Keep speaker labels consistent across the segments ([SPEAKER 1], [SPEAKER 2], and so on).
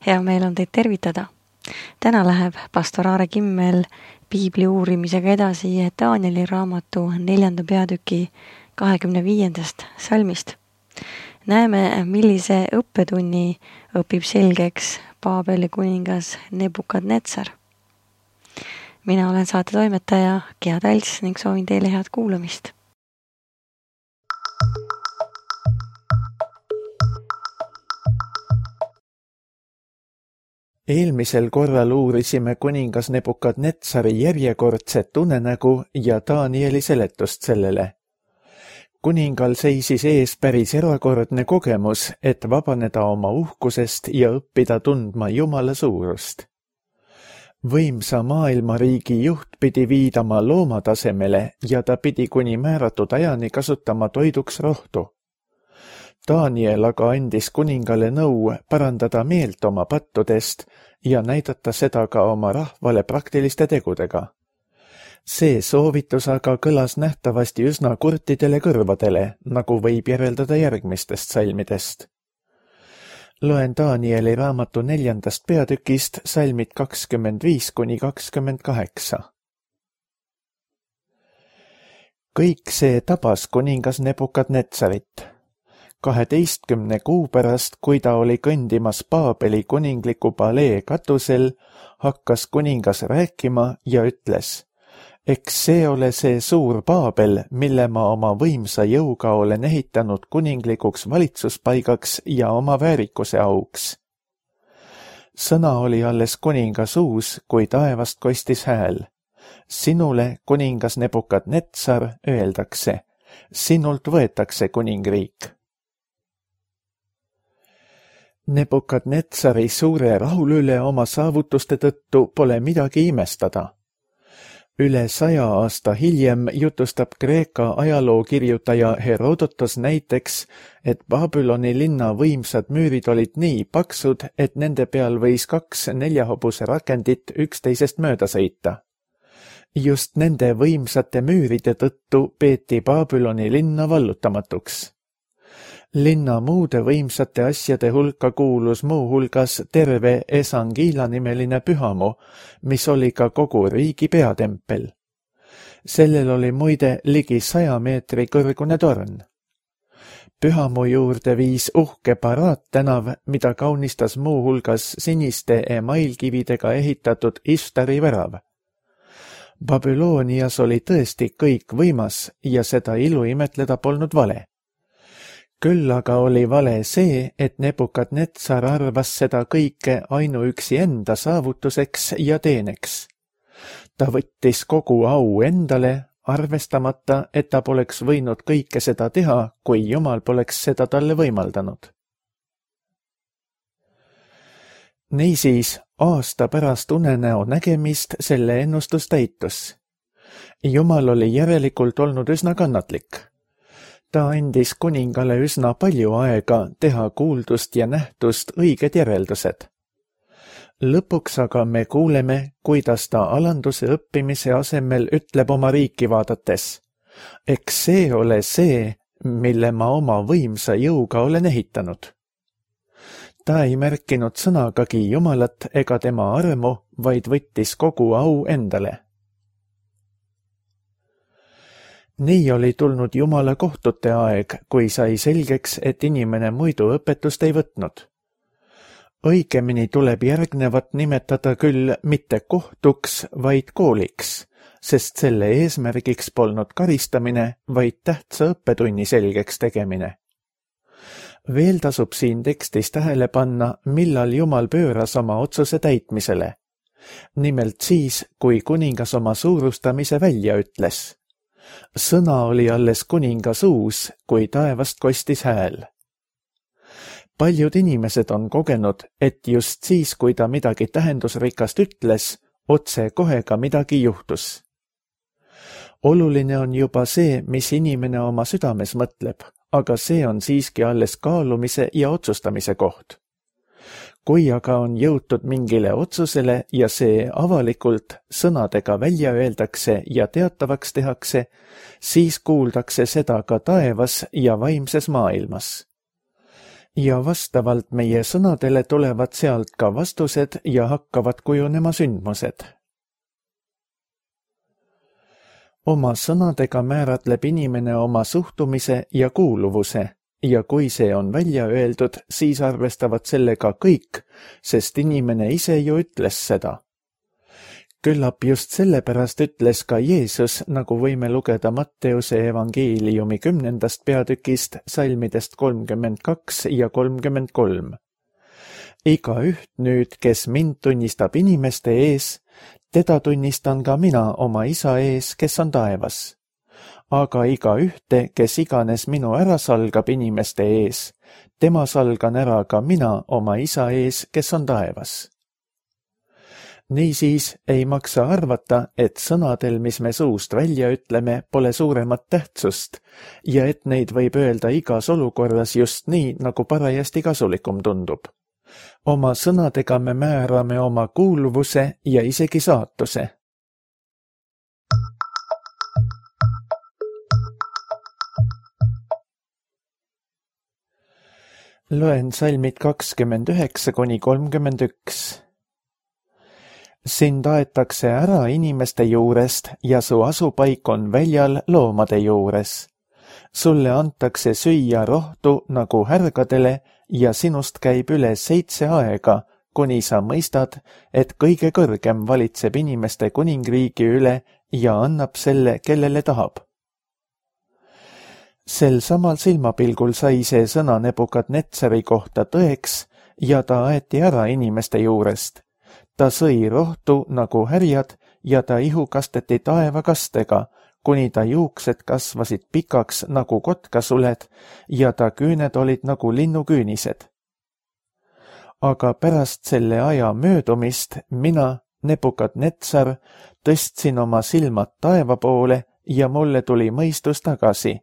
[SPEAKER 1] Hea meel on teid tervitada. Täna läheb pastor Aare Kimmel piibli uurimisega edasi Danieli raamatu 4. peatüki 25. salmist. Näeme, millise õppetunni õpib selgeks Paabeli kuningas Nebukadnetsar. Mina olen saate toimetaja Gea Talts ning soovin teile head kuulamist.
[SPEAKER 2] Eelmisel korral uurisime kuningas Nebukadnetsari järjekordset unenägu ja Danieli seletust sellele. Kuningal seisis ees päris erakordne kogemus, et vabaneda oma uhkusest ja õppida tundma Jumala suurust. Võimsa maailmariigi juht pidi viidama loomatasemele ja ta pidi kuni määratud ajani kasutama toiduks rohtu. Daniel aga andis kuningale nõu parandada meelt oma pattudest ja näidata seda ka oma rahvale praktiliste tegudega. See soovitus aga kõlas nähtavasti üsna kurtidele kõrvadele, nagu võib järeldada järgmistest salmidest. Loen Danieli raamatu 4. peatükist salmid 25–28. Kõik see tabas kuningas Nebukadnetsarit. 12 kuu pärast, kui ta oli kõndimas Paabeli kuningliku palee katusel, hakkas kuningas rääkima ja ütles: eks see ole see suur Paabel, mille ma oma võimsa jõuga olen ehitanud kuninglikuks valitsuspaigaks ja oma väärikuse auks. Sõna oli alles kuninga suus, kui taevast kostis hääl. Sinule, kuningas Nebukadnetsar, öeldakse: sinult võetakse kuningriik. Nebukadnetsari suure rahul üle oma saavutuste tõttu pole midagi imestada. Üle 100 aasta hiljem jutustab Kreeka ajalookirjutaja Herodotos näiteks, et Babyloni linna võimsad müürid olid nii paksud, et nende peal võis 2 4-hobuse rakendit üksteisest mööda sõita. Just nende võimsate müüride tõttu peeti Babyloni linna vallutamatuks. Linna muude võimsate asjade hulka kuulus muu hulgas terve Esangila nimeline pühamu, mis oli ka kogu riigi peatempel. Sellel oli muide ligi 100 meetri kõrgune torn. Pühamu juurde viis uhke Paraat-tänav, mida kaunistas muu hulgas siniste emailkividega ehitatud Ishtari värav. Babylonias oli tõesti kõik võimas ja seda ilu imetleda polnud vale. Küll aga oli vale see, et Nebukadnetsar arvas seda kõike ainuüksi enda saavutuseks ja teeneks. Ta võttis kogu au endale, arvestamata, et ta poleks võinud kõike seda teha, kui Jumal poleks seda talle võimaldanud. Niisiis, aasta pärast unenäo nägemist selle ennustus täitus. Jumal oli järelikult olnud üsna kannatlik. Ta andis kuningale üsna palju aega teha kuuldust ja nähtust õiged järeldused. Lõpuks aga me kuuleme, kuidas ta alanduse õppimise asemel ütleb oma riiki vaadates: eks see ole see, mille ma oma võimsa jõuga olen ehitanud. Ta ei märkinud sõnagagi Jumalat ega tema armu, vaid võttis kogu au endale. Nii oli tulnud Jumala kohtute aeg, kui sai selgeks, et inimene muidu õpetust ei võtnud. Õigemini tuleb järgnevat nimetada küll mitte kohtuks, vaid kooliks, sest selle eesmärgiks polnud karistamine, vaid tähtsa õppetunni selgeks tegemine. Veel tasub siin tekstis tähele panna, millal Jumal pööras oma otsuse täitmisele. Nimelt siis, kui kuningas oma suurustamise välja ütles. Sõna oli alles kuninga suus, kui taevast kostis hääl. Paljud inimesed on kogenud, et just siis, kui ta midagi tähendusrikast ütles, otse kohe ka midagi juhtus. Oluline on juba see, mis inimene oma südames mõtleb, aga see on siiski alles kaalumise ja otsustamise koht. Kui aga on jõutud mingile otsusele ja see avalikult sõnadega välja öeldakse ja teatavaks tehakse, siis kuuldakse seda ka taevas ja vaimses maailmas. ja vastavalt meie sõnadele tulevad sealt ka vastused ja hakkavad kujunema sündmused. Oma sõnadega määratleb inimene oma suhtumise ja kuuluvuse ja kui see on välja öeldud, siis arvestavad sellega kõik, sest inimene ise ju ütles seda. Küllap just sellepärast ütles ka Jeesus, nagu võime lugeda Matteuse evangeeliumi 10. peatükist, salmidest 32 ja 33. Igaüht nüüd, kes mind tunnistab inimeste ees, teda tunnistan ka mina oma isa ees, kes on taevas. Aga igaühte, kes iganes minu ära salgab inimeste ees, tema salgan ära ka mina oma isa ees, kes on taevas. Niisiis ei maksa arvata, et sõnadel, mis me suust välja ütleme, pole suuremat tähtsust ja et neid võib öelda igas olukorras just nii, nagu parajasti kasulikum tundub. Oma sõnadega me määrame oma kuuluvuse ja isegi saatuse. Loen salmid 29–31. Sind aetakse ära inimeste juurest ja su asupaik on väljal loomade juures. Sulle antakse süüa rohtu nagu härgadele ja sinust käib üle 7 aega, kuni sa mõistad, et kõige kõrgem valitseb inimeste kuningriigi üle ja annab selle, kellele tahab. Sel samal silmapilgul sai see sõna Nebukadnetsari kohta tõeks ja ta aeti ära inimeste juurest. Ta sõi rohtu nagu härjad ja ta ihu kasteti taevakastega, kuni ta juuksed kasvasid pikaks nagu kotkasuled ja ta küüned olid nagu linnuküünised. Aga pärast selle aja möödumist mina, Nebukadnetsar, tõstsin oma silmad taeva poole ja mulle tuli mõistus tagasi.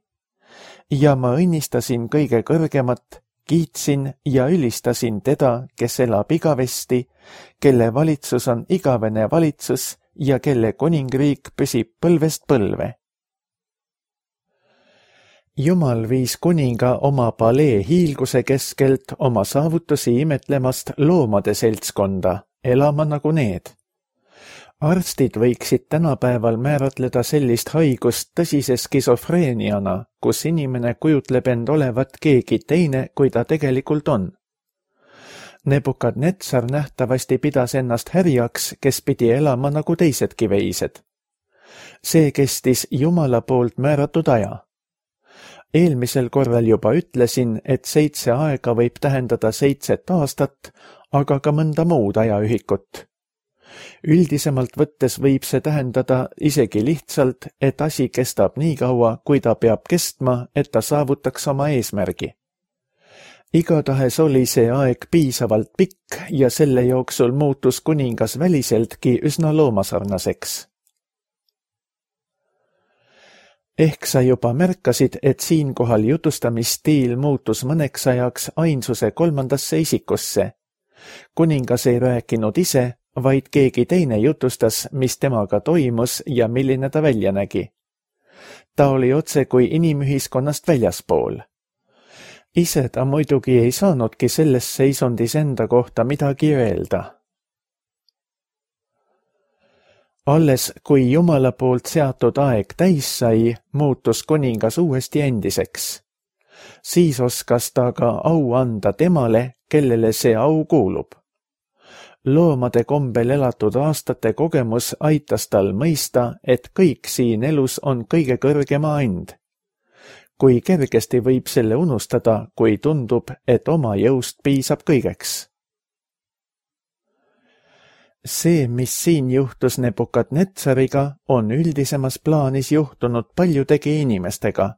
[SPEAKER 2] Ja ma õnnistasin kõige kõrgemat, kiitsin ja ülistasin teda, kes elab igavesti, kelle valitsus on igavene valitsus ja kelle kuningriik püsib põlvest põlve. Jumal viis kuninga oma palee hiilguse keskelt oma saavutusi imetlemast loomade seltskonda, elama nagu need. Arstid võiksid tänapäeval määratleda sellist haigust tõsise skisofreeniana, kus inimene kujutleb end olevat keegi teine, kui ta tegelikult on. Nebukadnetsar nähtavasti pidas ennast härjaks, kes pidi elama nagu teisedki veised. See kestis Jumala poolt määratud aja. Eelmisel korral juba ütlesin, et 7 aega võib tähendada 7 aastat, aga ka mõnda muud ajaühikut. Üldisemalt võttes võib see tähendada isegi lihtsalt, et asi kestab nii kaua, kui ta peab kestma, et ta saavutaks oma eesmärgi. Igatahes oli see aeg piisavalt pikk ja selle jooksul muutus kuningas väliseltki üsna loomasarnaseks. Ehk sa juba märkasid, et siinkohal jutustamisstiil muutus mõneks ajaks ainsuse 3. isikusse. Kuningas ei rääkinud ise, vaid keegi teine jutustas, mis temaga toimus ja milline ta välja nägi. Ta oli otse kui inimühiskonnast väljaspool. Ise ta muidugi ei saanudki selles seisundis enda kohta midagi öelda. Alles kui Jumala poolt seatud aeg täis sai, muutus kuningas uuesti endiseks. Siis oskas ta ka au anda temale, kellele see au kuulub. Loomade kombel elatud aastate kogemus aitas tal mõista, et kõik siin elus on kõige kõrgema and. Kui kergesti võib selle unustada, kui tundub, et oma jõust piisab kõigeks. See, mis siin juhtus Nebukadnetsariga, on üldisemas plaanis juhtunud paljudegi inimestega.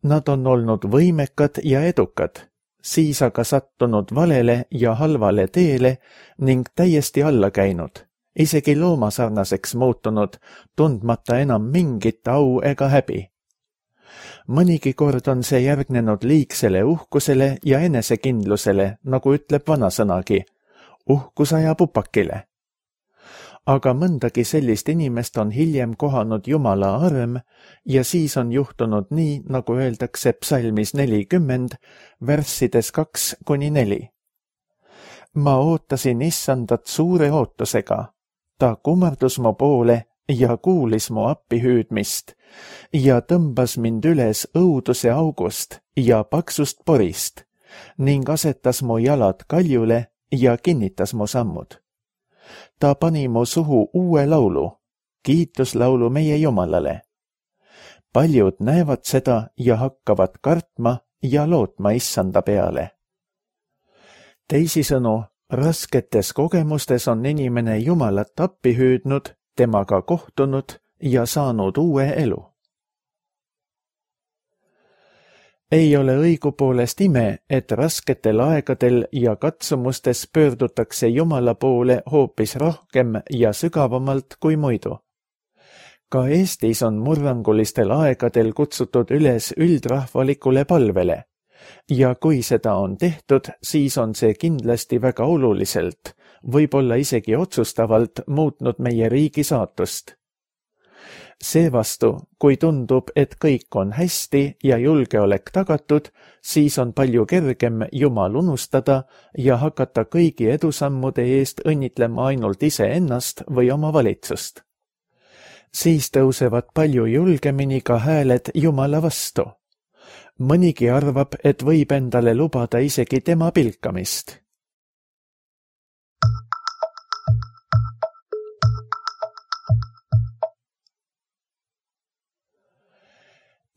[SPEAKER 2] Nad on olnud võimekad ja edukad, siis aga sattunud valele ja halvale teele ning täiesti alla käinud, isegi loomasarnaseks muutunud, tundmata enam mingit au ega häbi. Mõnigi kord on see järgnenud liigsele uhkusele ja enesekindlusele, nagu ütleb vanasõnagi, uhkus ajab upakile. aga mõndagi sellist inimest on hiljem kohanud Jumala arm ja siis on juhtunud nii, nagu öeldakse psalmis 40, värssides 2-4. Ma ootasin issandat suure ootusega. Ta kummardus mu poole ja kuulis mu appihüüdmist ja tõmbas mind üles õuduse august ja paksust porist ning asetas mu jalad kaljule ja kinnitas mu sammud. Ta pani mu suhu uue laulu, kiituslaulu meie Jumalale. Paljud näevad seda ja hakkavad kartma ja lootma issanda peale. Teisisõnu, rasketes kogemustes on inimene Jumalat appi hüüdnud, temaga kohtunud ja saanud uue elu. Ei ole õigupoolest ime, et rasketel aegadel ja katsumustes pöördutakse Jumala poole hoopis rohkem ja sügavamalt kui muidu. Ka Eestis on murrangulistel aegadel kutsutud üles üldrahvalikule palvele ja kui seda on tehtud, siis on see kindlasti väga oluliselt, võib-olla isegi otsustavalt muutnud meie riigi saatust. Seevastu, kui tundub, et kõik on hästi ja julgeolek tagatud, siis on palju kergem Jumal unustada ja hakata kõigi edusammude eest õnnitlema ainult iseennast või oma valitsust. Siis tõusevad palju julgemini ka hääled Jumala vastu. Mõnigi arvab, et võib endale lubada isegi tema pilkamist.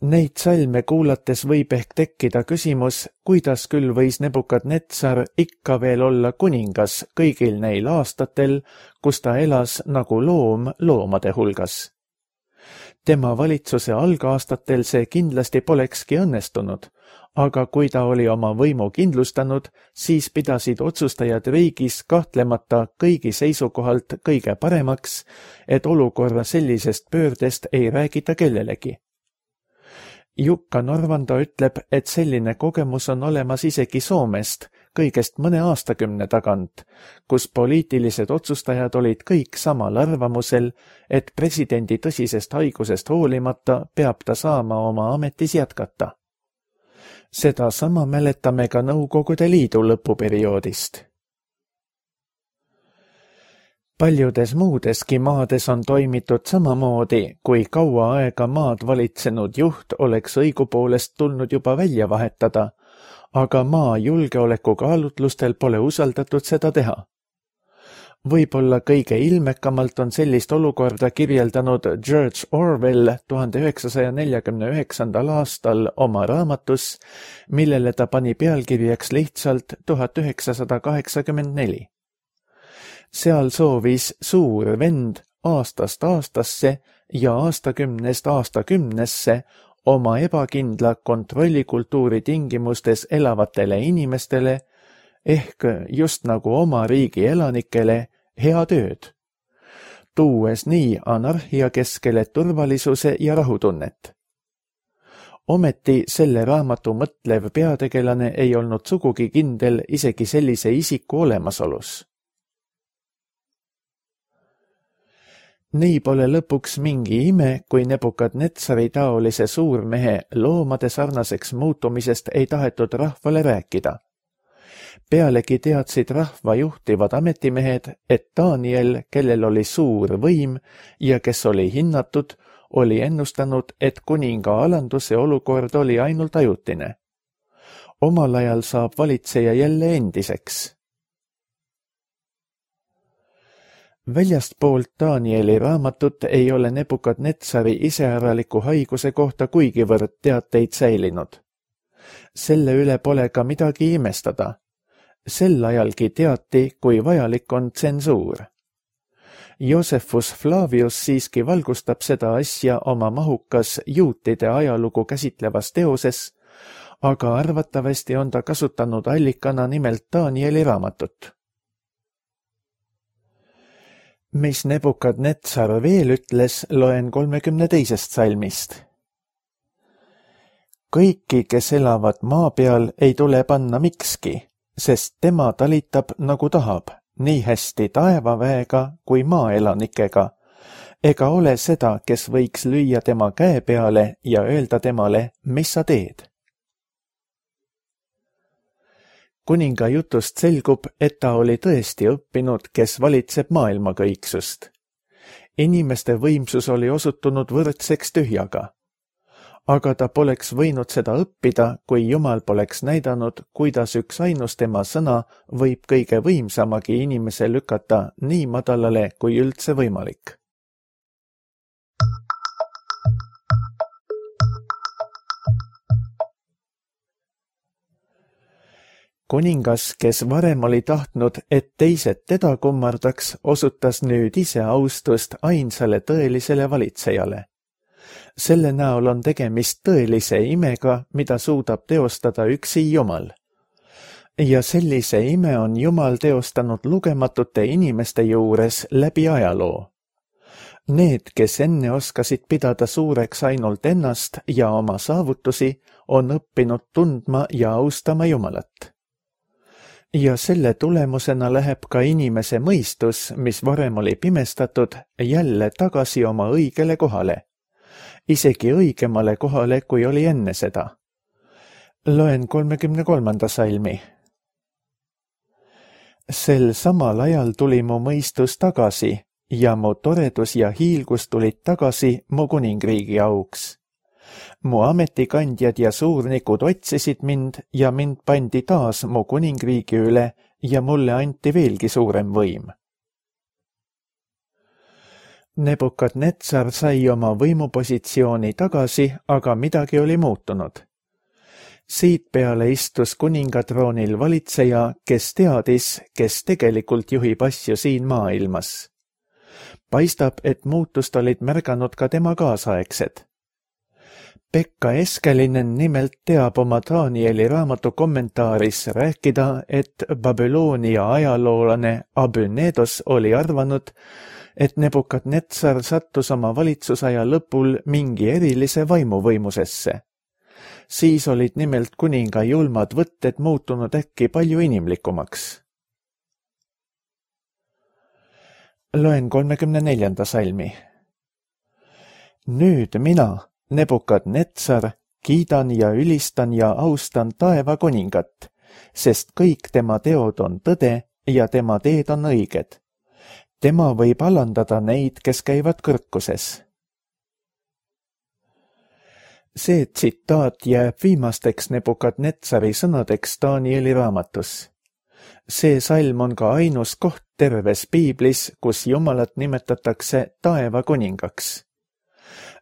[SPEAKER 2] Neid salme kuulates võib ehk tekkida küsimus, kuidas küll võis Nebukadnetsar ikka veel olla kuningas kõigil neil aastatel, kus ta elas nagu loom loomade hulgas. Tema valitsuse algaastatel see kindlasti polekski õnnestunud, aga kui ta oli oma võimu kindlustanud, siis pidasid otsustajad riigis kahtlemata kõigi seisukohalt kõige paremaks, et olukorra sellisest pöördest ei räägita kellelegi. Jukka Norvanda ütleb, et selline kogemus on olemas isegi Soomest kõigest mõne aastakümne tagant, kus poliitilised otsustajad olid kõik samal arvamusel, et presidendi tõsisest haigusest hoolimata peab ta saama oma ametis jätkata. Seda sama mäletame ka Nõukogude Liidu lõpuperioodist. Paljudes muudeski maades on toimitud samamoodi, kui kaua aega maad valitsenud juht oleks õigupoolest tulnud juba välja vahetada, aga maa julgeolekukaalutlustel pole usaldatud seda teha. Võib-olla kõige ilmekamalt on sellist olukorda kirjeldanud George Orwell 1949. aastal oma raamatus, millele ta pani pealkirjaks lihtsalt 1984. Seal soovis suur vend aastast aastasse ja aastakümnest aastakümnesse oma ebakindla kontrollikultuuri tingimustes elavatele inimestele ehk just nagu oma riigi elanikele hea tööd, tuues nii anarhia keskele turvalisuse ja rahutunnet. Ometi selle raamatu mõtlev peategelane ei olnud sugugi kindel isegi sellise isiku olemasolus. Nii pole lõpuks mingi ime, kui Nebukadnetsari taolise suurmehe loomade sarnaseks muutumisest ei tahetud rahvale rääkida. Pealegi teadsid rahva juhtivad ametimehed, et Daniel, kellel oli suur võim ja kes oli hinnatud, oli ennustanud, et kuninga alanduse olukord oli ainult ajutine. Omal ajal saab valitseja jälle endiseks. Väljastpoolt Danieli raamatut ei ole Nebukadnetsari iseäraliku haiguse kohta kuigivõrd teateid säilinud. Selle üle pole ka midagi imestada. Sel ajalgi teati, kui vajalik on tsensuur. Josephus Flavius siiski valgustab seda asja oma mahukas juutide ajalugu käsitlevas teoses, aga arvatavasti on ta kasutanud allikana nimelt Danieli raamatut. Mis Nebukadnetsar veel ütles, loen 32. salmist. Kõiki, kes elavad maa peal, ei tule panna mikski, sest tema talitab nagu tahab, nii hästi taevaväega kui maaelanikega, ega ole seda, kes võiks lüüa tema käe peale ja öelda temale, mis sa teed. Kuninga jutust selgub, et ta oli tõesti õppinud, kes valitseb maailmakõiksust. Inimeste võimsus oli osutunud võrdseks tühjaga. Aga ta poleks võinud seda õppida, kui Jumal poleks näidanud, kuidas üks ainus tema sõna võib kõige võimsamagi inimese lükata nii madalale kui üldse võimalik. Kuningas, kes varem oli tahtnud, et teised teda kummardaks, osutas nüüd ise austust ainsale tõelisele valitsejale. Selle näol on tegemist tõelise imega, mida suudab teostada üksi Jumal. Ja sellise ime on Jumal teostanud lugematute inimeste juures läbi ajaloo. Need, kes enne oskasid pidada suureks ainult ennast ja oma saavutusi, on õppinud tundma ja austama Jumalat. Ja selle tulemusena läheb ka inimese mõistus, mis varem oli pimestatud, jälle tagasi oma õigele kohale. Isegi õigemale kohale, kui oli enne seda. Loen 33. salmi. Sel samal ajal tuli mu mõistus tagasi ja mu toredus ja hiilgus tulid tagasi mu kuningriigi auks. Mu ametikandjad ja suurnikud otsisid mind ja mind pandi taas mu kuningriigi üle ja mulle anti veelgi suurem võim. Nebukadnetsar sai oma võimupositsiooni tagasi, aga midagi oli muutunud. Siit peale istus kuningatroonil valitseja, kes teadis, kes tegelikult juhib asju siin maailmas. Paistab, et muutust olid märganud ka tema kaasaegsed. Pekka Eskelinen nimelt teab oma Danieli raamatu kommentaaris rääkida, et Babyloonia ajaloolane Abünedos oli arvanud, et Nebukadnetsar sattus oma valitsusaja lõpul mingi erilise vaimuvõimusesse. Siis olid nimelt kuninga julmad võtted muutunud äkki palju inimlikumaks. Loen 34. salmi. Nüüd mina, Nebukadnetsar, kiidan ja ülistan ja austan taeva kuningat, sest kõik tema teod on tõde ja tema teed on õiged. Tema võib alandada neid, kes käivad kõrkuses. See tsitaat jääb viimasteks Nebukadnetsari sõnadeks Danieli raamatus. See salm on ka ainus koht terves piiblis, kus Jumalat nimetatakse taeva kuningaks.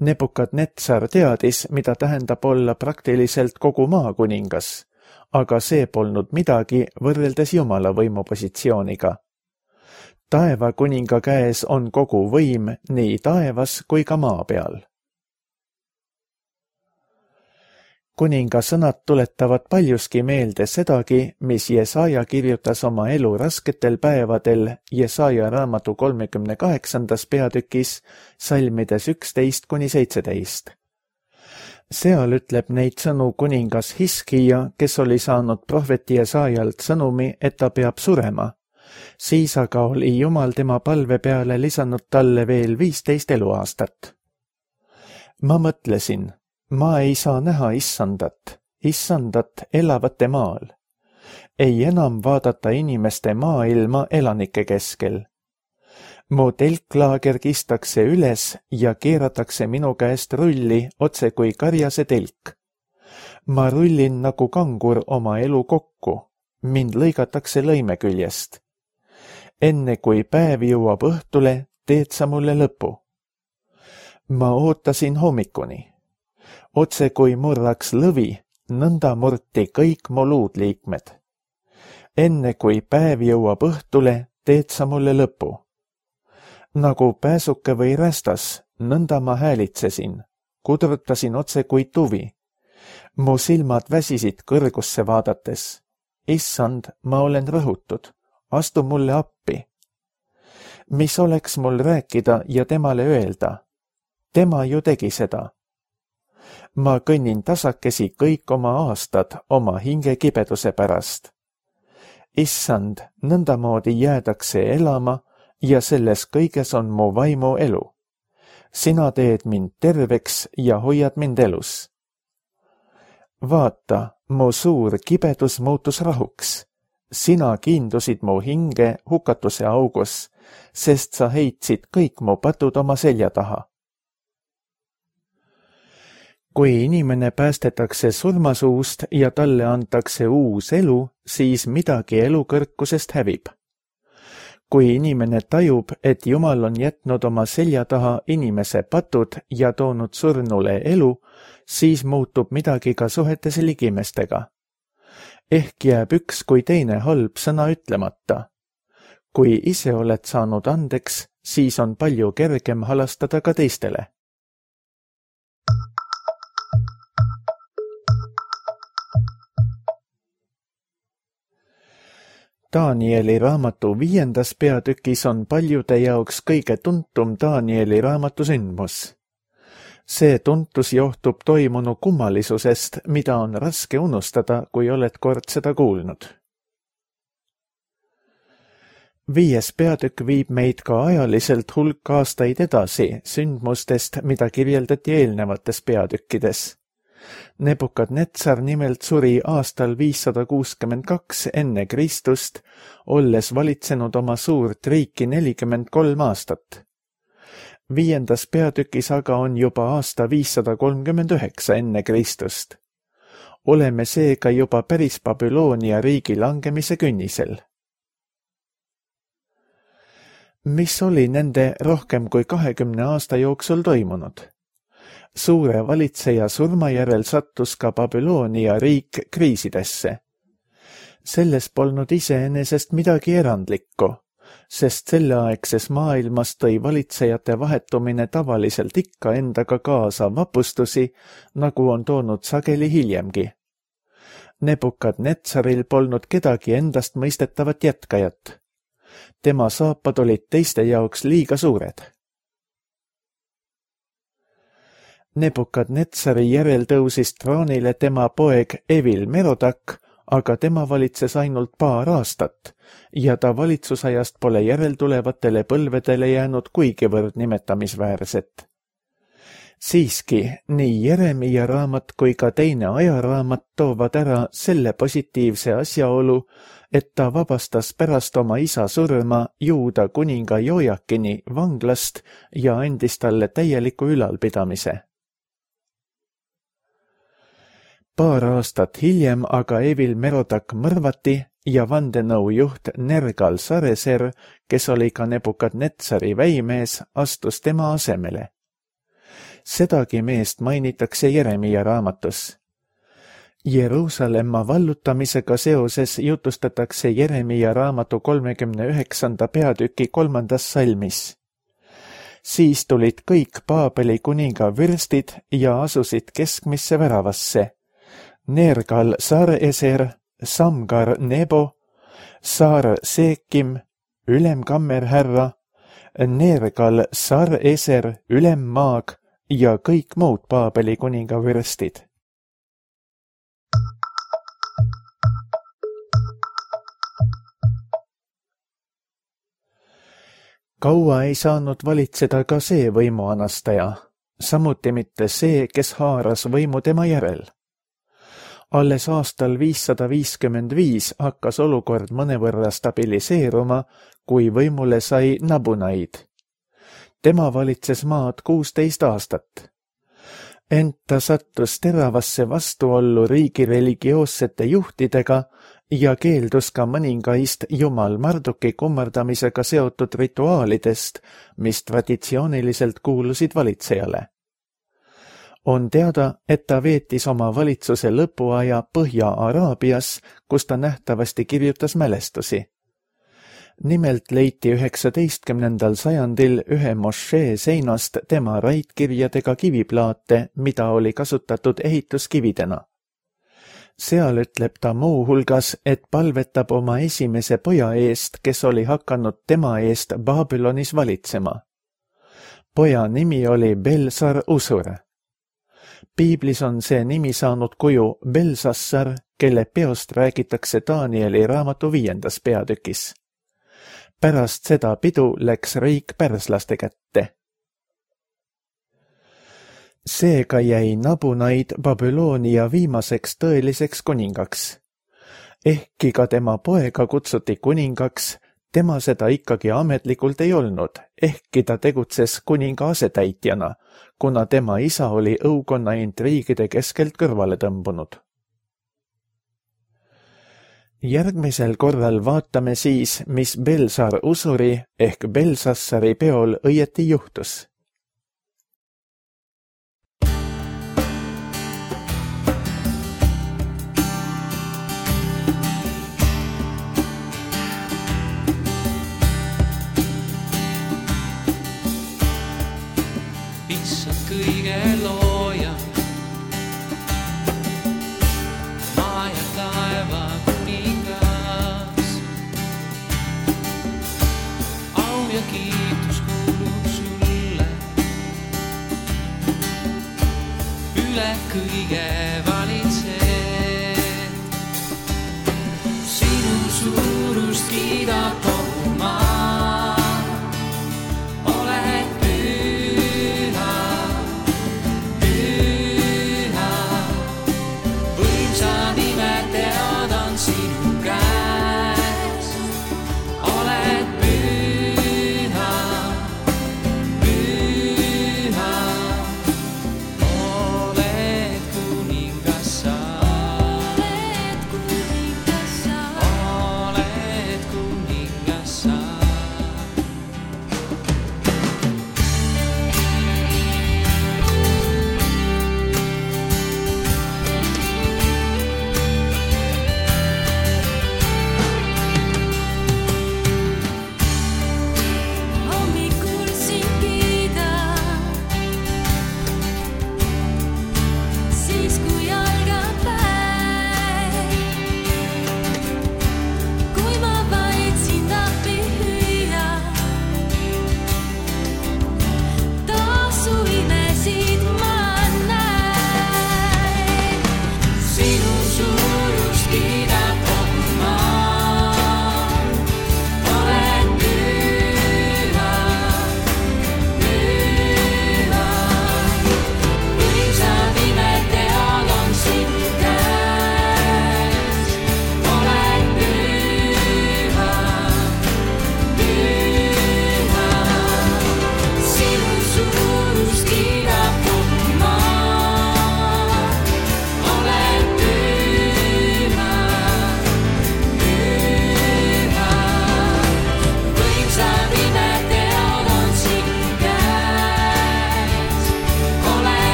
[SPEAKER 2] Nebukadnetsar teadis, mida tähendab olla praktiliselt kogu maa kuningas, aga see polnud midagi võrreldes Jumala võimupositsiooniga. Taeva kuninga käes on kogu võim nii taevas kui ka maa peal. Kuninga sõnad tuletavad paljuski meelde sedagi, mis Jesaja kirjutas oma elu rasketel päevadel Jesaja raamatu 38. peatükis salmides 11–17. Seal ütleb neid sõnu kuningas Hiskija, kes oli saanud prohveti Jesajalt sõnumi, et ta peab surema. Siis aga oli Jumal tema palve peale lisanud talle veel 15 eluaastat. Ma mõtlesin, ma ei saa näha issandat elavate maal. Ei enam vaadata inimeste maailma elanike keskel. Mu telklaager kistakse üles ja keeratakse minu käest rulli otse kui karjase telk. Ma rullin nagu kangur oma elu kokku, mind lõigatakse lõime küljest. Enne kui päev jõuab õhtule, teed sa mulle lõpu. Ma ootasin hommikuni. Otse kui murraks lõvi, nõnda murti kõik mu luudliikmed. Enne kui päev jõuab õhtule, teed sa mulle lõpu. Nagu pääsuke või rästas, nõnda ma häälitsesin, kudrutasin otse kui tuvi. Mu silmad väsisid kõrgusse vaadates. Issand, ma olen rõhutud. Astu mulle appi. Mis oleks mul rääkida ja temale öelda? Tema ju tegi seda. Ma kõnnin tasakesi kõik oma aastad oma hinge kibeduse pärast. Issand, nõndamoodi jäädakse elama ja selles kõiges on mu vaimu elu. Sina teed mind terveks ja hoiad mind elus. Vaata, mu suur kibedus muutus rahuks. Sina kiindusid mu hinge hukatuse augus, sest sa heitsid kõik mu patud oma selja taha. Kui inimene päästetakse surmasuust ja talle antakse uus elu, siis midagi elukõrkusest hävib. Kui inimene tajub, et Jumal on jätnud oma selja taha inimese patud ja toonud surnule elu, siis muutub midagi ka suhetes ligimestega. Ehk jääb üks kui teine halb sõna ütlemata. Kui ise oled saanud andeks, siis on palju kergem halastada ka teistele. Danieli raamatu 5. peatükis on paljude jaoks kõige tuntum Danieli raamatu sündmus. See tuntus johtub toimunu kummalisusest, mida on raske unustada, kui oled kord seda kuulnud. 5. peatükk viib meid ka ajaliselt hulk aastaid edasi sündmustest, mida kirjeldati eelnevates peatükkides. Nebukadnetsar nimelt suri aastal 562 enne Kristust, olles valitsenud oma suurt riiki 43 aastat. 5. peatükis aga on juba aasta 539 enne Kristust. Oleme seega juba päris Babyloonia riigi langemise künnisel. Mis oli nende rohkem kui 20 aasta jooksul toimunud? Suure valitseja surma järel sattus ka Babyloonia riik kriisidesse. Selles polnud iseenesest midagi erandlikku, sest selleaegses maailmas tõi valitsejate vahetumine tavaliselt ikka endaga kaasa vapustusi, nagu on toonud sageli hiljemgi. Nebukadnetsaril polnud kedagi endast mõistetavat jätkajat. Tema saapad olid teiste jaoks liiga suured. Nebukadnetsari järel tõusis troonile tema poeg Evil Merodak, aga tema valitses ainult paar aastat ja ta valitsusajast pole järeltulevatele põlvedele jäänud kuigivõrd nimetamisväärset. Siiski, nii Jeremia raamat kui ka teine ajaraamat toovad ära selle positiivse asjaolu, et ta vabastas pärast oma isa surma Juuda kuninga Jojakini vanglast ja andis talle täieliku ülalpidamise. Paar aastat hiljem aga Evil Merodak mõrvati ja vandenõujuht Nergal-Sareser, kes oli ka Nebukadnetsari väimees, astus tema asemele. Sedagi meest mainitakse Jeremia raamatus. Jeruusalemma vallutamisega seoses jutustatakse Jeremia raamatu 39. peatüki 3. salmis. Siis tulid kõik Paabeli kuninga vürstid ja asusid keskmisse väravasse. Nergal-Sareser, Samgar Nebo, Saar Seekim, ülemkammerhärra, Nergal-Sareser, ülemmaag ja kõik muud Paabeli kuninga vürstid. Kaua ei saanud valitseda ka see võimuanastaja, samuti mitte see, kes haaras võimu tema järel. Alles aastal 555 hakkas olukord mõnevõrra stabiliseeruma, kui võimule sai Nabunaid. Tema valitses maad 16 aastat. Ent ta sattus teravasse vastuollu riigi religioossete juhtidega ja keeldus ka mõningaist Jumal Marduki kummardamisega seotud rituaalidest, mis traditsiooniliselt kuulusid valitsejale. On teada, et ta veetis oma valitsuse lõpuaja Põhja-Araabias, kus ta nähtavasti kirjutas mälestusi. Nimelt leiti 19. sajandil ühe mošee seinast tema raidkirjadega kiviplaate, mida oli kasutatud ehituskividena. Seal ütleb ta muu hulgas, et palvetab oma esimese poja eest, kes oli hakanud tema eest Babylonis valitsema. Poja nimi oli Belsar Usur. Piiblis on see nimi saanud kuju Belsassar, kelle peost räägitakse Danieli raamatu 5. peatükis. Pärast seda pidu läks riik pärslaste kätte. Seega jäi Nabunaid Babyloonia viimaseks tõeliseks kuningaks. Ehkki ka tema poega kutsuti kuningaks, tema seda ikkagi ametlikult ei olnud, ehkki ta tegutses kuninga asetäitjana, kuna tema isa oli õukonna intriigide keskelt kõrvale tõmbunud. Järgmisel korral vaatame siis, mis Belsar usuri ehk Belsassari peol õieti juhtus.
[SPEAKER 3] Issand kõige looja, maa ja taeva kuningas. Au ja kiitus kuulub sulle, üle kõige valitsed. Sinu suurust kiidab